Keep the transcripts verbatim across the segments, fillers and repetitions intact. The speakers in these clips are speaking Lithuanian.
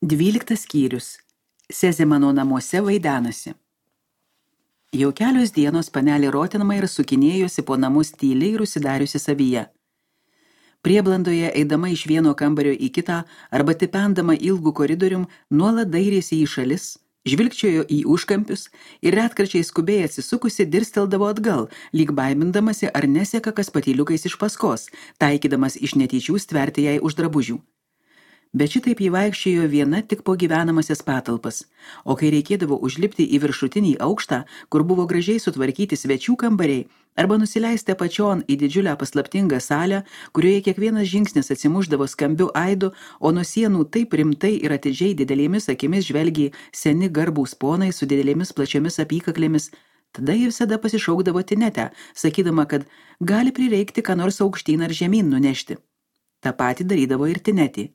Dvyliktas skyrius. Sezemano namuose vaidenasi. Jau kelios dienos panelė Rotenmeier sukinėjosi po namus tyliai ir užsidariusi savyje. Prieblandoje eidama iš vieno kambario į kitą arba tipendama ilgų koridorium nuolat dairėsi į šalis, žvilgčiojo į užkampius ir retkarčiai skubiai atsisukusi dirsteldavo atgal, lyg baimindamasi ar neseka kas patyliukais iš paskos, taikydamas iš netyčių stverti jai už drabužių. Bet šitaip jį vaikščiojo viena tik po gyvenamasias patalpas, o kai reikėdavo užlipti į viršutinį aukštą, kur buvo gražiai sutvarkyti svečių kambariai, arba nusileisti apačion į didžiulę paslaptingą salę, kurioje kiekvienas žingsnis atsimušdavo skambiu aidu, o nuo sienų taip rimtai ir atidžiai didelėmis akimis žvelgė seni garbūs ponai su didelėmis plačiomis apykaklėmis, tada ji visada pasišaukdavo Tinetę, sakydama, kad gali prireikti ką nors aukštyn ar žemyn nunešti. Ta pati darydavo ir Tinetė.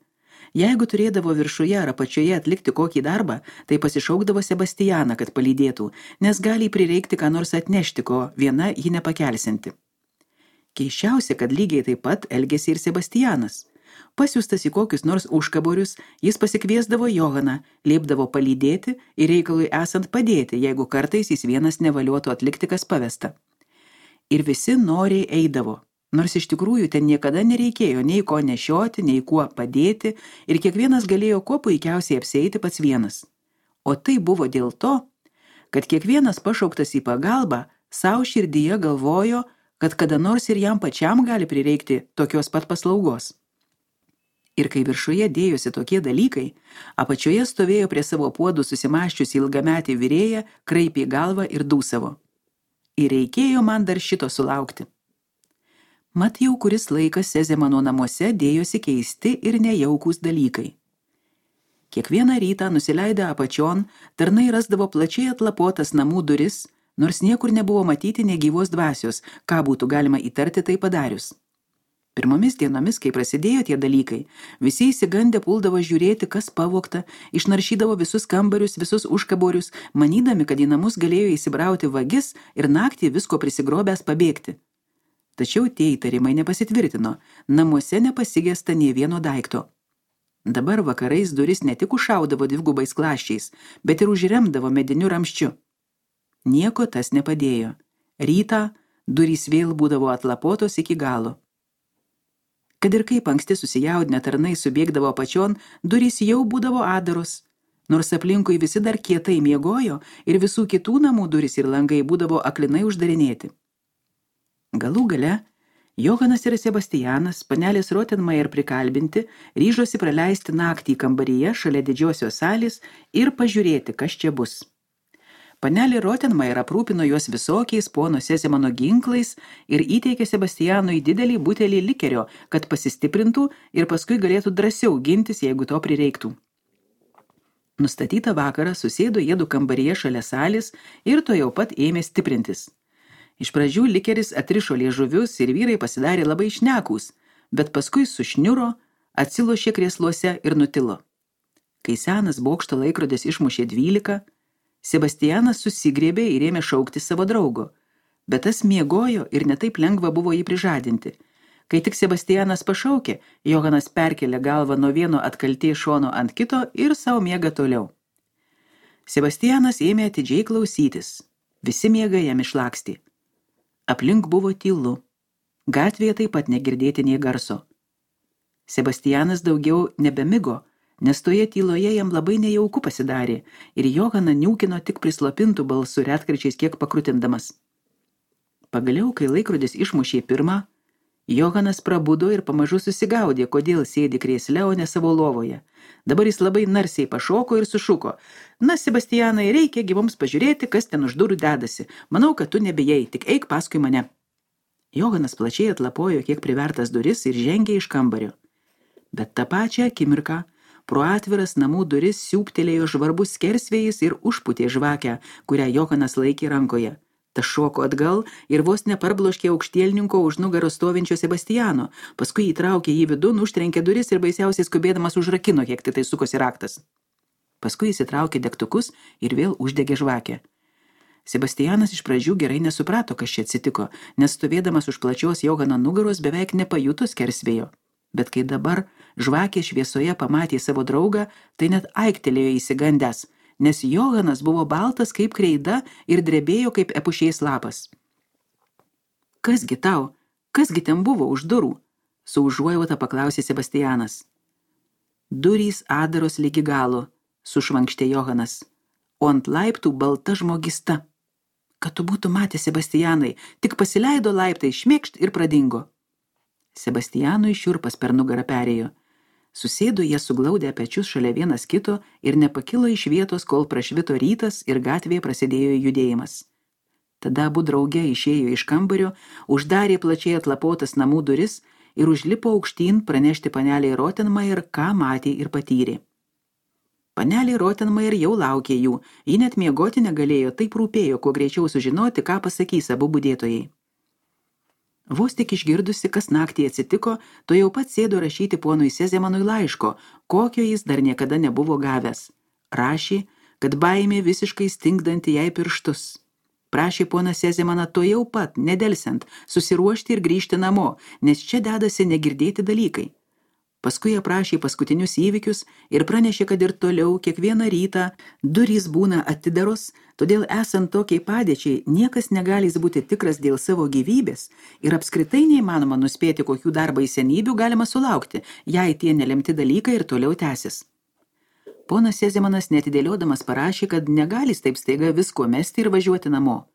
Jeigu turėdavo viršuje ar apačioje atlikti kokį darbą, tai pasišaukdavo Sebastianą, kad palydėtų, nes gali prireikti ką nors atnešti, ko viena ji nepakelsinti. Keisčiausia, kad lygiai taip pat elgėsi ir Sebastianas. Pasiųstas į kokius nors užkaborius, jis pasikviesdavo Johaną, liepdavo palydėti ir reikalui esant padėti, jeigu kartais jis vienas nevaliotų atlikti kas pavesta. Ir visi noriai eidavo. Nors iš tikrųjų ten niekada nereikėjo nei ko nešioti, nei kuo padėti ir kiekvienas galėjo kuo puikiausiai apsieiti pats vienas. O tai buvo dėl to, kad kiekvienas pašauktas į pagalbą savo širdyje galvojo, kad kada nors ir jam pačiam gali prireikti tokios pat paslaugos. Ir kai viršuje dėjosi tokie dalykai, apačioje stovėjo prie savo puodų susimaščiusi ilgametį vyrėją, kraipė galvą ir dūsavo. Ir reikėjo man dar šito sulaukti. Mat jau kuris laikas Sezemano namuose dėjosi keisti ir nejaukūs dalykai. Kiekvieną rytą nusileidę apačion, tarnai rasdavo plačiai atlapotas namų duris, nors niekur nebuvo matyti negyvos dvasios, ką būtų galima įtarti tai padarius. Pirmomis dienomis, kai prasidėjo tie dalykai, visi įsigandę puldavo žiūrėti, kas pavogta, išnaršydavo visus kambarius, visus užkaborius, manydami, kad į namus galėjo įsibrauti vagis ir naktį visko prisigrobęs pabėgti. Tačiau tie įtarimai nepasitvirtino, namuose nepasigesta nė vieno daikto. Dabar vakarais duris ne tik užšaudavo dvigubais klaščiais, bet ir užremdavo mediniu ramščiu. Nieko tas nepadėjo. Rytą durys vėl būdavo atlapotos iki galo. Kad ir kaip anksti susijaudinę tarnai subėgdavo apačion, durys jau būdavo adaros. Nors aplinkui visi dar kietai miegojo ir visų kitų namų durys ir langai būdavo aklinai uždarinėti. Galų gale, Johanas ir Sebastianas, panelės Rotenmeier prikalbinti, ryžosi praleisti naktį kambaryje šalia didžiosios salės ir pažiūrėti, kas čia bus. Panelė Rotenmeier aprūpino juos visokiais pono Sezemano ginklais ir įteikė Sebastianui didelį butelį likerio, kad pasistiprintų ir paskui galėtų drąsiau gintis, jeigu to prireiktų. Nustatytą vakarą susėdo jiedu kambaryje šalia salės ir to jau pat ėmė stiprintis. Iš pradžių likeris atrišo liežuvius ir vyrai pasidarė labai šnekūs, bet paskui sušniuro, atsilošė krėsluose ir nutilo. Kai senas bokšto laikrodis išmušė dvylika, Sebastianas susigriebė ir ėmė šaukti savo draugo, bet tas miegojo ir netaip lengva buvo jį prižadinti. Kai tik Sebastianas pašaukė, Johanas perkelė galvą nuo vieno atkalties šono ant kito ir savo miega toliau. Sebastianas ėmė atidžiai klausytis, visi miega jam išlakstė. Aplink buvo tylu. Gatvėje taip pat negirdėti nei garso. Sebastianas daugiau nebemigo, nes toje tyloje jam labai nejauku pasidarė ir Johaną niūkino tik prislopintų balsų retkarčiais kiek pakrutindamas. Pagaliau, kai laikrodis išmušė pirmą, Johanas prabudo ir pamažu susigaudė, kodėl sėdi krėsle, o ne savo lovoje. Dabar jis labai narsiai pašoko ir sušuko. Na, Sebastianai, reikia gi mums pažiūrėti, kas ten už durų dedasi. Manau, kad tu nebijai, tik eik paskui mane. Johanas plačiai atlapojo kiek privertas duris ir žengė iš kambario. Bet tą pačią akimirką pro atviras namų duris siūptelėjo žvarbus skersvėjis ir užpūtė žvakę, kurią Johanas laikė rankoje. Tas šoko atgal ir vos neparbloškė aukštielninko už nugarą stovinčio Sebastiano, paskui įtraukė jį vidun, užtrenkė duris ir baisiausiai skubėdamas užrakino, kiek tai sukosi raktas. Paskui įsitraukė degtukus ir vėl uždegė žvakę. Sebastianas iš pradžių gerai nesuprato, kas čia atsitiko, nes stovėdamas už plačios Johano nugaros beveik nepajuto skersvėjo. Bet kai dabar žvakė šviesoje pamatė savo draugą, tai net aiktelėjo įsigandęs, nes Johanas buvo baltas kaip kreida ir drebėjo kaip epušės lapas. Kasgi tau, kasgi ten buvo už durų? Su užuojauta paklausė Sebastianas. Durys adaros lygi galo, sušvankštė Johanas, o ant laiptų balta žmogista. Kad tu būtų matę, Sebastianai, tik pasileido laiptai, šmėkšt ir pradingo. Sebastianui šiurpas per nugarą perėjo. Susėdo jie suglaudę pečius šalia vienas kito ir nepakilo iš vietos, kol prašvito rytas ir gatvėje prasidėjo judėjimas. Tada abu drauge išėjo iš kambario, uždarė plačiai atlapotas namų duris ir užlipo aukštyn pranešti paneliai Rottenmeier, ką matė ir patyrė. Paneliai Rottenmeier jau laukė jų, ji net miegoti negalėjo, taip rūpėjo, kuo greičiau sužinoti, ką pasakys abu budėtojai. Vos tik išgirdusi, kas naktį atsitiko, to jau pat sėdo rašyti ponui Sezemanui laiško, kokio jis dar niekada nebuvo gavęs. Rašė, kad baimė visiškai stingdanti jai pirštus. Prašė poną Sezemaną to jau pat, nedelsiant, susiruošti ir grįžti namo, nes čia dedasi negirdėti dalykai. Paskui aprašė paskutinius įvykius ir pranešė, kad ir toliau kiekvieną rytą durys būna atidaros, todėl esant tokiai padėčiai niekas negalės būti tikras dėl savo gyvybės ir apskritai neįmanoma nuspėti, kokių dar baisenybių galima sulaukti, jei tie nelemti dalykai ir toliau tęsis. Ponas Sezemanas netidėliodamas parašė, kad negalės taip staiga visko mesti ir važiuoti namo.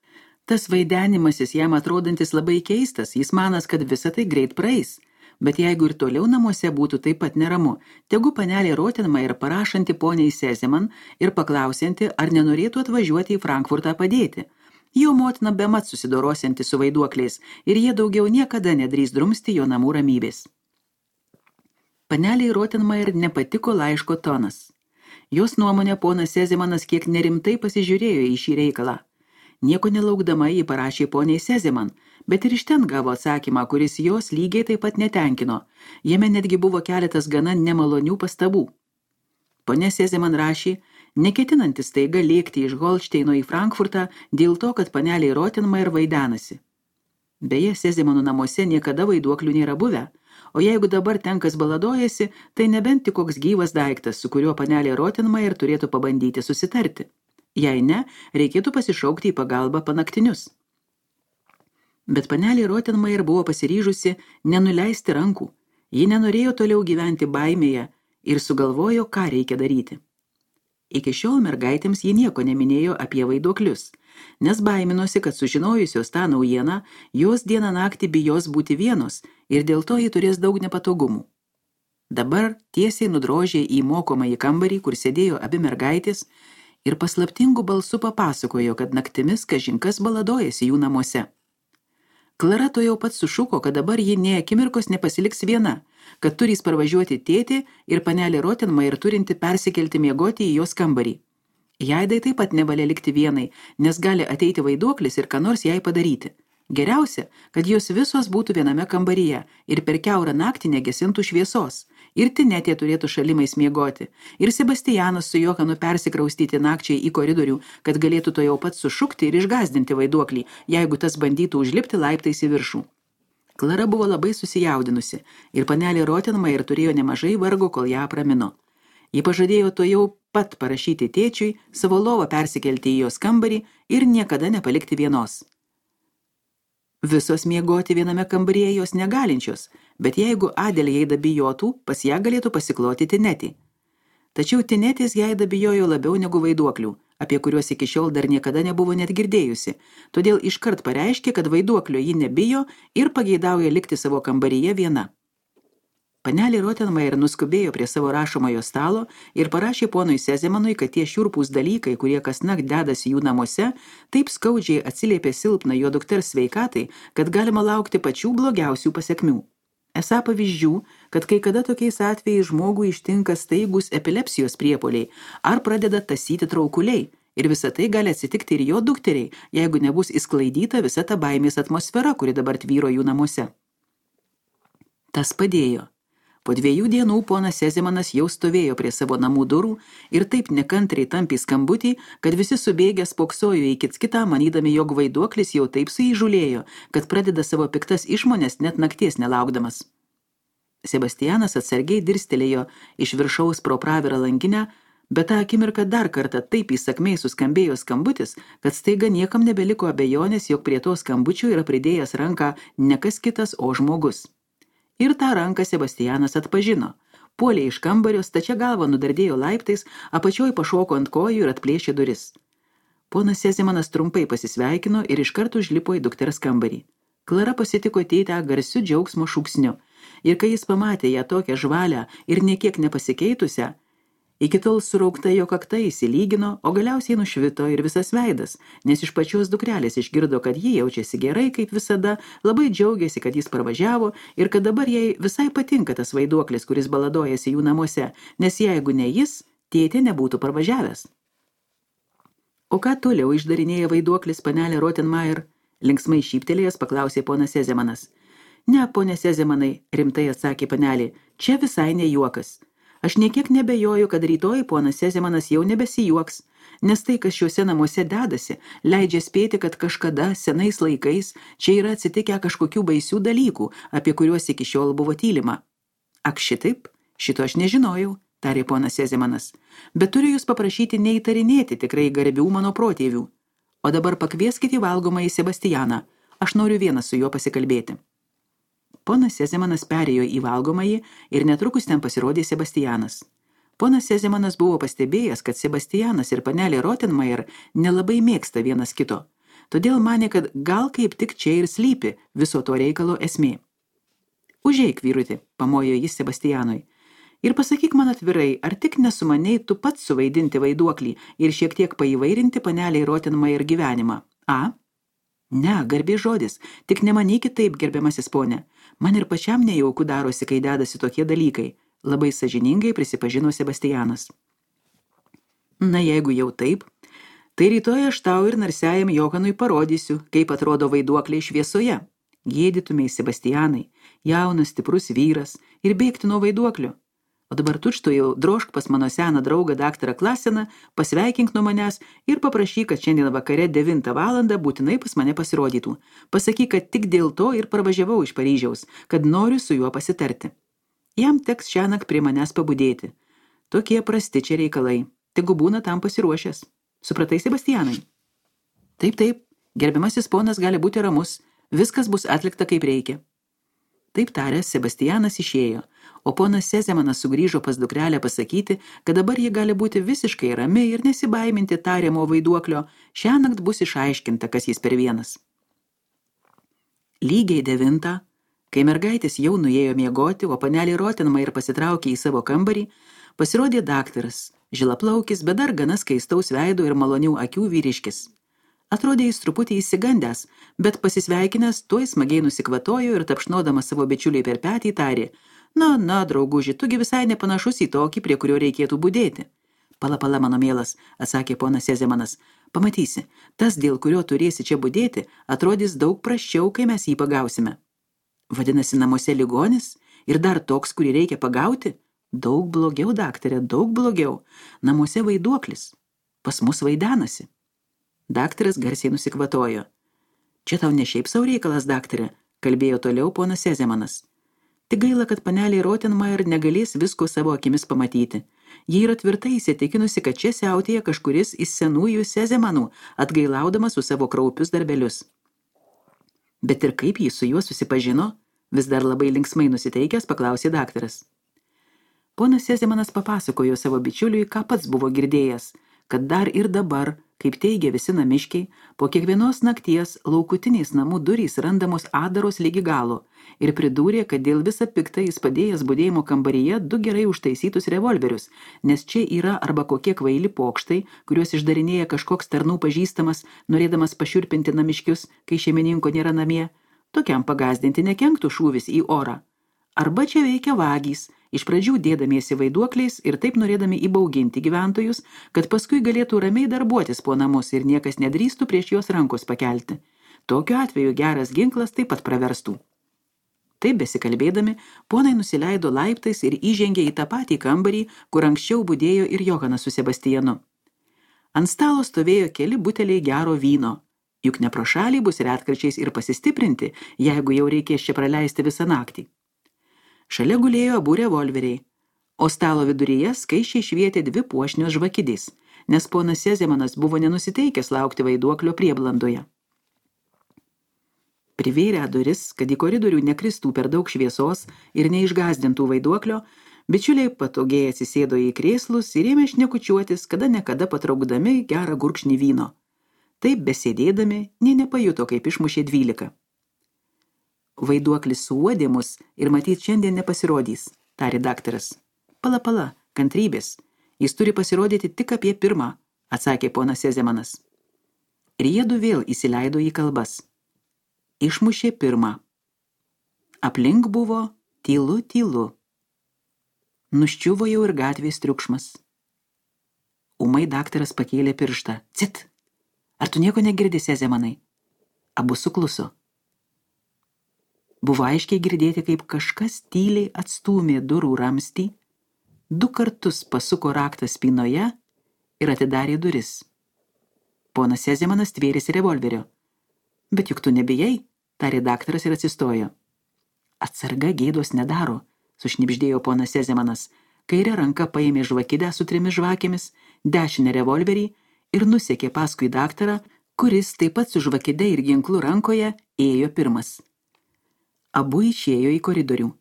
Tas vaidenimasis jam atrodantis labai keistas, jis manas, kad visa tai greit praeis. Bet jeigu ir toliau namuose būtų taip pat neramu, tegu panelė Rottenmeier parašanti poniai Sezeman ir paklausianti, ar nenorėtų atvažiuoti į Frankfurtą padėti. Jo motina bemat susidorosianti su vaiduokliais ir jie daugiau niekada nedrįs drumsti jo namų ramybės. Paneliai Rottenmeier nepatiko laiško tonas. Jos nuomonė ponas Sezemanas kiek nerimtai pasižiūrėjo į šį reikalą. Nieko nelaukdama jį parašė poniai Sezeman, bet ir iš ten gavo atsakymą, kuris jos lygiai taip pat netenkino. Jame netgi buvo keletas gana nemalonių pastabų. Ponia Sezeman rašė, neketinantis staiga lėkti iš Holšteino į Frankfurtą dėl to, kad paneliai Rottenmeier vaidenasi. Beje, Sezemanų namuose niekada vaiduoklių nėra buvę, o jeigu dabar ten kas baladojasi, tai nebent tik koks gyvas daiktas, su kuriuo panelė Rottenmeier turėtų pabandyti susitarti. Jei ne, reikėtų pasišaukti į pagalbą panaktinius. Bet panelė Rottenmeier buvo pasiryžusi nenuleisti rankų. Ji nenorėjo toliau gyventi baimėje ir sugalvojo, ką reikia daryti. Iki šiol mergaitėms ji nieko neminėjo apie vaiduoklius, nes baiminosi, kad sužinojusios tą naujieną, jos dieną naktį bijos būti vienos ir dėl to ji turės daug nepatogumų. Dabar tiesiai nudrožė į mokomąjį kambarį, kur sėdėjo abi mergaitės, ir paslaptingų balsų papasakojo, kad naktimis kažinkas baladojasi jų namuose. Klara to jau pat sušuko, kad dabar ji nė akimirkos nepasiliks viena, kad turės parvažiuoti tėtį ir panelė Rottenmeier turinti persikelti miegoti į jos kambarį. Jaidai taip pat nevalia likti vienai, nes gali ateiti vaiduoklis ir ką nors jai padaryti. Geriausia, kad jos visos būtų viename kambaryje ir per kiaurą naktį negesintų šviesos. Ir Tinetė turėtų šalimais miegoti, ir Sebastianas su Johanu persikraustyti nakčiai į koridorių, kad galėtų to jau pat sušukti ir išgazdinti vaiduoklį, jeigu tas bandytų užlipti laiptais į viršų. Klara buvo labai susijaudinusi ir panelė Rottenmeier turėjo nemažai vargo, kol ją apramino. Ji pažadėjo to jau pat parašyti tėčiui, savo lovą persikelti į jos kambarį ir niekada nepalikti vienos. Visos miegoti viename kambaryje jos negalinčios, bet jeigu Adelė Jaida bijotų, pas ją galėtų pasikloti Tinetį. Tačiau Tinetės Jaida bijojo labiau negu vaiduoklių, apie kuriuos iki šiol dar niekada nebuvo net girdėjusi, todėl iškart pareiškė, kad vaiduoklio ji nebijo ir pageidauja likti savo kambaryje viena. Panelė Rottenmeier nuskubėjo prie savo rašomojo stalo ir parašė ponui Sezemanui, kad tie šiurpūs dalykai, kurie kasnakt dedasi jų namuose, taip skaudžiai atsiliepė silpną jo dukters sveikatai, kad galima laukti pačių blogiausių pasekmių. Esą pavyzdžių, kad kai kada tokiais atvejais žmogų ištinka staigus epilepsijos priepuoliai ar pradeda tasyti traukuliai, ir visa tai gali atsitikti ir jo dukteriai, jeigu nebus įsklaidyta visa ta baimės atmosfera, kuri dabar tvyro jų namuose. Tas padėjo. Po dviejų dienų ponas Sezemanas jau stovėjo prie savo namų durų ir taip nekantriai tampė skambutį, kad visi subėgę spoksojo į kits kitą, manydami, jog vaiduoklis jau taip suįžulėjo, kad pradeda savo piktas išmonės net nakties nelaukdamas. Sebastianas atsargiai dirstelėjo iš viršaus pro pravirą langinę, bet tą akimirką dar kartą taip įsakmiai suskambėjo skambutis, kad staiga niekam nebeliko abejonės, jog prie to skambučio yra pridėjęs ranką ne kas kitas, o žmogus. Ir tą ranką Sebastianas atpažino. Puolė iš kambario, stačia galva nudardėjo laiptais, apačioj pašoko ant kojų ir atplėšė duris. Ponas Sezemanas trumpai pasisveikino ir iškart užlipo į dukters kambarį. Klara pasitiko tėtę garsiu džiaugsmo šūksniu, ir kai jis pamatė ją tokią žvalę ir niekiek nepasikeitusią, iki tol suraukta jo kakta įsilygino, o galiausiai nušvito ir visas veidas, nes iš pačios dukrelės išgirdo, kad ji jaučiasi gerai, kaip visada, labai džiaugiasi, kad jis parvažiavo ir kad dabar jai visai patinka tas vaiduoklis, kuris baladojasi jų namuose, nes jeigu ne jis, tėtė nebūtų parvažiavęs. O ką toliau išdarinėja vaiduoklis, panelė Rottenmeier? Linksmai šyptelėjęs paklausė ponas Sezemanas. Ne, ponė Sezemanai, rimtai atsakė panelė, čia visai ne juokas. Aš niekiek nebejoju, kad rytoj ponas Sezemanas jau nebesijuoks, nes tai, kas šiuose namuose dedasi, leidžia spėti, kad kažkada, senais laikais, čia yra atsitikę kažkokių baisių dalykų, apie kuriuos iki šiol buvo tylima. Ak šitaip, šito aš nežinojau, tarė ponas Sezemanas, bet turiu jūs paprašyti neįtarinėti tikrai garbių mano protėvių. O dabar pakvieskite valgomąjį Sebastianą, aš noriu vienas su juo pasikalbėti. Ponas Sezemanas perėjo į valgomąjį ir netrukus ten pasirodė Sebastianas. Ponas Sezemanas buvo pastebėjęs, kad Sebastianas ir panelė Rottenmeier nelabai mėgsta vienas kito, todėl manė, kad gal kaip tik čia ir slypi viso to reikalo esmė. Užeik, vyruti, pamojo jis Sebastianui, ir pasakyk man atvirai, ar tik nesumanei tu pats suvaidinti vaiduoklį ir šiek tiek paįvairinti paneliai Rottenmeier gyvenimą. A? Ne, garbė žodis, tik nemanykit taip, gerbiamasis ponė. Man ir pačiam nejauku darosi, kai dedasi tokie dalykai, labai sąžiningai prisipažino Sebastianas. Na, jeigu jau taip, tai rytoj aš tau ir narsiajam Johanui parodysiu, kaip atrodo vaiduokliai šviesoje. Gėdytumei, Sebastianai, jaunas, stiprus vyras ir bėgti nuo vaiduoklio. O dabar tučtu jau drožk pas mano seną draugą daktarą Klaseną, pasveikink nuo manęs ir paprašyk, kad šiandien vakare devintą valandą būtinai pas mane pasirodytų. Pasakyk, kad tik dėl to ir parvažiavau iš Paryžiaus, kad noriu su juo pasitarti. Jam teks šiąnakt prie manęs pabudėti. Tokie prasti čia reikalai. Tegu būna tam pasiruošęs. Supratai, Sebastianai? Taip, taip, gerbiamasis ponas gali būti ramus. Viskas bus atlikta kaip reikia. Taip taręs, Sebastianas išėjo, o ponas Sezemanas sugrįžo pas dukrelę pasakyti, kad dabar ji gali būti visiškai rami ir nesibaiminti tariamo vaiduoklio, šiąnakt bus išaiškinta, kas jis per vienas. Lygiai devintą, kai mergaitės jau nuėjo miegoti, o panelė Rottenmeier pasitraukė į savo kambarį, pasirodė daktaras, žilaplaukis, bet dar gana skaistaus veido ir malonių akių vyriškis. Atrodė jis truputį įsigandęs, bet pasisveikinęs tuoj smagiai nusikvatojo ir tapšnodamas savo bičiuliai per petį tarė, na, na, drauguži, tugi visai nepanašus į tokį, prie kurio reikėtų budėti. Pala, pala, mano mielas, atsakė ponas Sezemanas, pamatysi, tas, dėl kurio turėsi čia budėti, atrodys daug prasčiau, kai mes jį pagausime. Vadinasi, namuose ligonis ir dar toks, kurį reikia pagauti? Daug blogiau, daktarė, daug blogiau. Namuose vaiduoklis. Pas mus vaidenasi. Daktaras garsiai nusikvatojo. Čia tau ne šiaip sau reikalas, daktarė, kalbėjo toliau ponas Sezemanas. Tik gaila, kad panelė Rottenmeier negalės visko savo akimis pamatyti. Ji yra tvirtai įsitikinusi, kad čia siautėja kažkuris iš senųjų Sezemanų, atgailaudamas su savo kraupius darbelius. Bet ir kaip jis su juo susipažino, vis dar labai linksmai nusiteikęs paklausė daktaras. Ponas Sezemanas papasakojo savo bičiuliui, ką pats buvo girdėjęs, kad dar ir dabar, kaip teigia visi namiškiai, po kiekvienos nakties laukutiniais namų durys randamos adaros lygi galo ir pridūrė, kad dėl visą piktą jis padėjęs budėjimo kambaryje du gerai užtaisytus revolverius, nes čia yra arba kokie kvaili pokštai, kuriuos išdarinėja kažkoks tarnų pažįstamas, norėdamas pašiurpinti namiškius, kai šeimininko nėra namie, tokiam pagazdinti nekenktų šūvis į orą. Arba čia veikia vagys, iš pradžių dėdamiesi vaiduokliais ir taip norėdami įbauginti gyventojus, kad paskui galėtų ramiai darbuotis po namus ir niekas nedrįstų prieš jos rankos pakelti. Tokiu atveju geras ginklas taip pat praverstų. Taip besikalbėdami, ponai nusileido laiptais ir įžengė į tą patį kambarį, kur anksčiau budėjo ir Johanas su Sebastianu. Ant stalo stovėjo keli buteliai gero vyno, juk ne pro šalį bus retkarčiais ir pasistiprinti, jeigu jau reikės čia praleisti visą naktį. Šalia gulėjo abu revolveriai, o stalo viduryje skaičiai švietė dvi puošnios žvakidės, nes ponas Sezemanas buvo nenusiteikęs laukti vaiduoklio prieblandoje. Privėrę duris, kad į koridorių nekristų per daug šviesos ir neišgazdintų vaiduoklio, bičiuliai patogiai atsisėdo į krėslus ir ėmė šnekučiuotis, kada nekada patraukdami gerą gurkšnį vyno. Taip besėdėdami, nė nepajuto, kaip išmušė dvylika. Vaiduoklis suuodė mus ir matyt šiandien nepasirodys, tarė daktaras. Pala, pala, kantrybės. Jis turi pasirodyti tik apie pirmą, atsakė ponas Sezemanas. Ir jiedu vėl įsileido į kalbas. Išmušė pirmą. Aplink buvo tylu, tylu. Nuščiuvo jau ir gatvės triukšmas. Ūmai daktaras pakėlė pirštą. Cit! Ar tu nieko negirdi, Sezemanai? Abu sukluso. Buvo aiškiai girdėti, kaip kažkas tyliai atstūmė durų ramstį, du kartus pasuko raktą spynoje ir atidarė duris. Ponas Sezemanas tvėrėsi revolverio. Bet juk tu nebijai, tarė daktaras ir atsistojo. Atsarga gėdos nedaro, sušnibždėjo ponas Sezemanas. Kairę ranką paėmė žvakidę su trimis žvakėmis, dešinę revolverį ir nusekė paskui daktarą, kuris taip pat su žvakide ir ginklu rankoje ėjo pirmas. Abu išėjo į koridorių.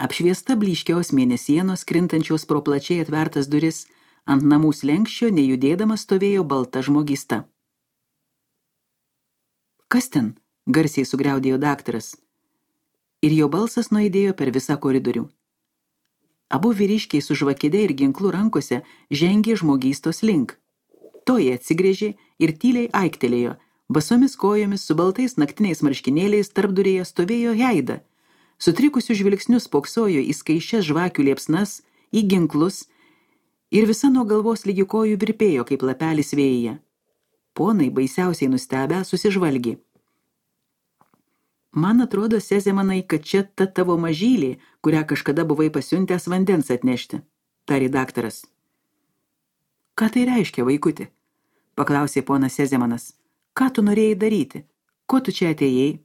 Apšviesta blyškiaus mėnesienos, krintančios pro plačiai atvertas duris, ant namų slenkščio nejudėdama stovėjo balta žmogysta. Kas ten? Garsiai sugriaudėjo daktaras. Ir jo balsas nuaidėjo per visą koridorių. Abu vyriškiai su žvakide ir ginklu rankose žengė žmogystos link. Toji atsigrėžė ir tyliai aiktelėjo. Basomis kojomis su baltais naktiniais marškinėliais tarpdurėje stovėjo Heida. Sutrikusių žvilgsnių spoksojo į skaičias žvakių liepsnas, į ginklus ir visa nuo galvos lygi kojų virpėjo kaip lapelis vėjyje. Ponai baisiausiai nustebę susižvalgė. Man atrodo, Sezemanai, kad čia ta tavo mažylė, kurią kažkada buvai pasiuntęs vandens atnešti, tarė daktaras. Ką tai reiškia, vaikuti? Paklausė ponas Sezemanas. Ką tu norėjai daryti? Ko tu čia atėjai?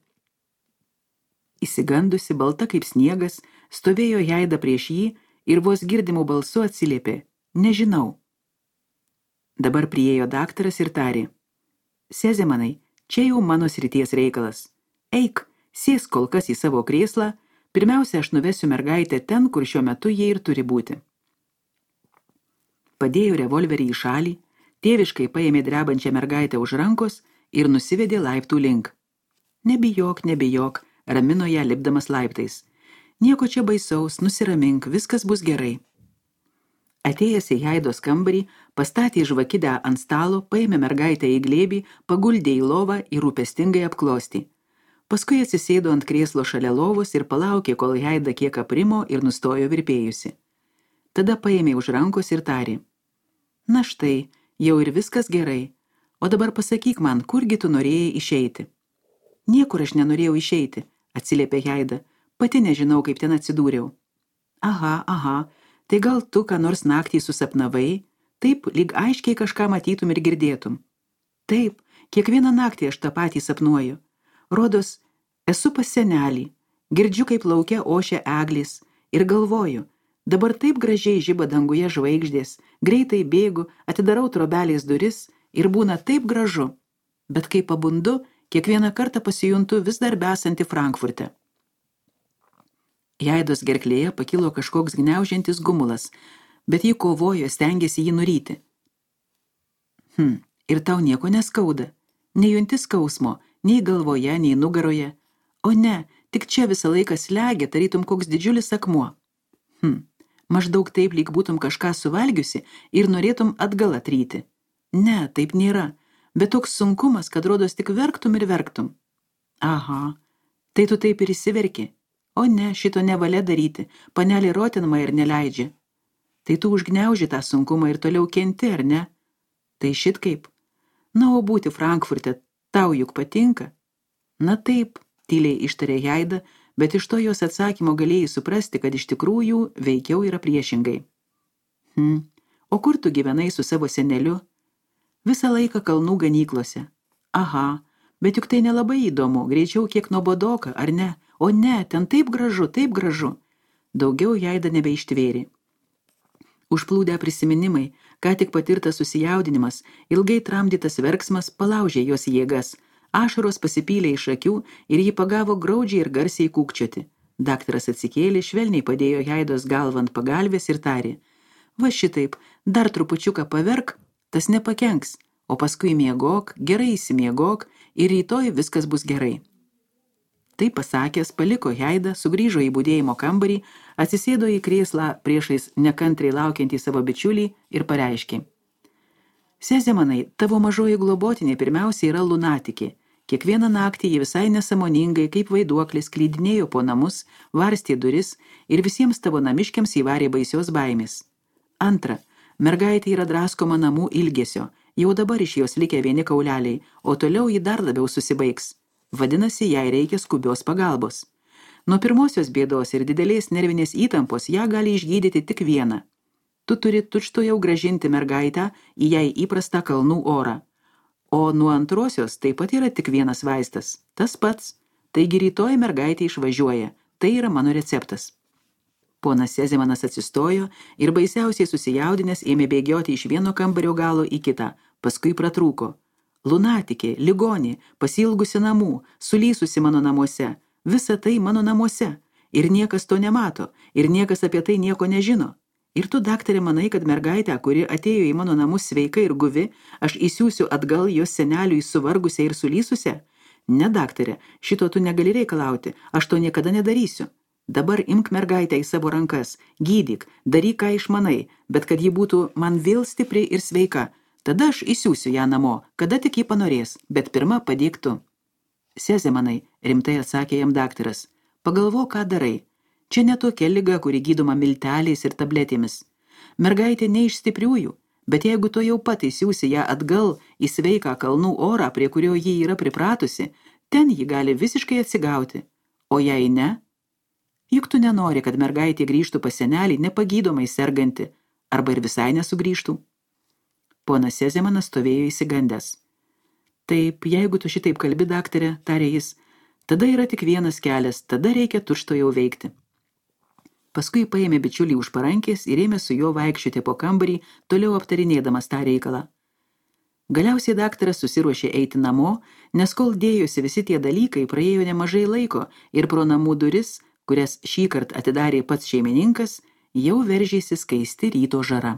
Įsigandusi, balta kaip sniegas, stovėjo Heida prieš jį ir vos girdimų balsu atsiliepė. Nežinau. Dabar priėjo daktaras ir tarė. Sezemanai, čia jau mano srities reikalas. Eik, sėsk kol kas į savo krėslą, pirmiausia aš nuvesiu mergaitę ten, kur šiuo metu jie ir turi būti. Padėjo revolverį į šalį, tėviškai paėmė drebančią mergaitę už rankos ir nusivedė laiptų link. Nebijok, nebijok, ramino ją lipdamas laiptais. Nieko čia baisaus, nusiramink, viskas bus gerai. Atėjęs į Heidos kambarį, pastatė žvakidę ant stalo, paėmė mergaitę į glėbį, paguldė į lovą ir rūpestingai apklostė. Paskui atsisėdo ant krėslo šalia lovos ir palaukė, kol Heida kiek aprimo ir nustojo virpėjusi. Tada paėmė už rankos ir tarė. Na štai, jau ir viskas gerai. O dabar pasakyk man, kurgi tu norėjai išeiti? Niekur aš nenorėjau išeiti, atsiliepė Heida. Pati nežinau, kaip ten atsidūriau. Aha, aha, tai gal tu ką nors naktį susapnavai? Taip, lyg aiškiai kažką matytum ir girdėtum. Taip, kiekvieną naktį aš tą patį sapnuoju. Rodos, esu pas senelį, girdžiu, kaip lauke ošia eglės ir galvoju, dabar taip gražiai žiba danguje žvaigždės, greitai bėgu, atidarau trobelės duris ir būna taip gražu, bet kai pabundu, kiekvieną kartą pasijuntu vis dar besanti Frankfurte. Heidos gerklėje pakilo kažkoks gniaužiantis gumulas, bet ji kovojo, stengėsi jį nuryti. Hm, ir tau nieko neskauda, nejunti skausmo, nei galvoje, nei nugaroje, o ne, tik čia visą laiką slegia, tarytum koks didžiulis akmuo. Hm, maždaug taip, lyg būtum kažką suvalgiusi ir norėtum atgal atryti. Ne, taip nėra, bet toks sunkumas, kad rodos tik verktum ir verktum. Aha, tai tu taip ir įsiverki. O ne, šito nevalia daryti, panelė Rotenmeier neleidžia. Tai tu užgniauži tą sunkumą ir toliau kenti, ar ne? Tai šit kaip. Na, o būti Frankfurte, tau juk patinka? Na taip, tyliai ištarė Heida, bet iš to jos atsakymo galėjai suprasti, kad iš tikrųjų veikiau yra priešingai. Hm, o kur tu gyvenai su savo seneliu? Visą laiką kalnų ganyklose. Aha, bet juk tai nelabai įdomu, greičiau kiek nuobodoka, ar ne? O ne, ten taip gražu, taip gražu. Daugiau Jaida nebeištvėrė. Užplūdę prisiminimai, ką tik patirtas susijaudinimas, ilgai tramdytas verksmas palaužė jos jėgas, ašaros pasipylė iš akių ir ji pagavo graudžiai ir garsiai kūkčioti. Daktaras atsikėlė, švelniai padėjo Jaidos galvą ant pagalvės ir tarė: va šitaip, dar trupučiuką paverk, tas nepakenks, o paskui miegok, gerai įsimiegok ir rytoj viskas bus gerai. Tai pasakęs, paliko Jaidą, sugrįžo į budėjimo kambarį, atsisėdo į krėslą priešais nekantriai laukiantį savo bičiulį ir pareiškė: Sezemanai, tavo mažoji globotinė pirmiausia yra lunatikė. Kiekvieną naktį ji visai nesamoningai, kaip vaiduoklis, klydinėjo po namus, varstė duris ir visiems tavo namiškiams įvarė baisios baimės. Antra, mergaitė yra draskoma namų ilgesio, jau dabar iš jos likę vieni kauleliai, o toliau ji dar labiau susibaigs. Vadinasi, jai reikia skubios pagalbos. Nuo pirmosios bėdos ir didelės nervinės įtampos ją gali išgydyti tik vieną. Tu turi tučtuojau grąžinti mergaitę į jai įprastą kalnų orą. O nuo antrosios taip pat yra tik vienas vaistas. Tas pats. Taigi rytoj mergaitė išvažiuoja. Tai yra mano receptas. Ponas Sezemanas atsistojo ir baisiausiai susijaudinęs ėmė bėgioti iš vieno kambario galo į kitą. Paskui pratrūko. Lunatikė, ligonė, pasiilgusi namų, sulysusi mano namuose. Visa tai mano namuose. Ir niekas to nemato. Ir niekas apie tai nieko nežino. Ir tu, daktarė, manai, kad mergaitę, kuri atėjo į mano namus sveika ir guvi, aš įsiųsiu atgal jos seneliui suvargusią ir sulysusią? Ne, daktarė, šito tu negali reikalauti, aš to niekada nedarysiu. Dabar imk mergaitę į savo rankas, gydyk, daryk, ką išmanai, bet kad ji būtų man vėl stipri ir sveika. Tada aš įsiųsiu ją namo, kada tik ji panorės, bet pirma padėk tu. Sezemanai, rimtai atsakė jam daktaras, pagalvok, ką darai. Čia ne tokia liga, kuri gydoma milteliais ir tabletėmis. Mergaitė ne iš stipriųjų, bet jeigu to jau pat įsiųsi ją atgal į sveiką kalnų orą, prie kurio ji yra pripratusi, ten ji gali visiškai atsigauti. O jei ne? Juk tu nenori, kad mergaitė grįžtų pas senelį nepagydomai serganti, arba ir visai nesugrįžtų. Ponas Sezemanas stovėjo įsigandęs. Taip, jeigu tu šitaip kalbi, daktarė, tarė jis, tada yra tik vienas kelias, tada reikia tučtuojau veikti. Paskui paėmė bičiulį už parankės ir ėmė su juo vaikščioti po kambarį, toliau aptarinėdamas tą reikalą. Galiausiai daktaras susiruošė eiti namo, nes kol dėjosi visi tie dalykai, praėjo nemažai laiko ir pro namų duris, kurias šįkart atidarė pats šeimininkas, jau veržėsi skaisti ryto žara.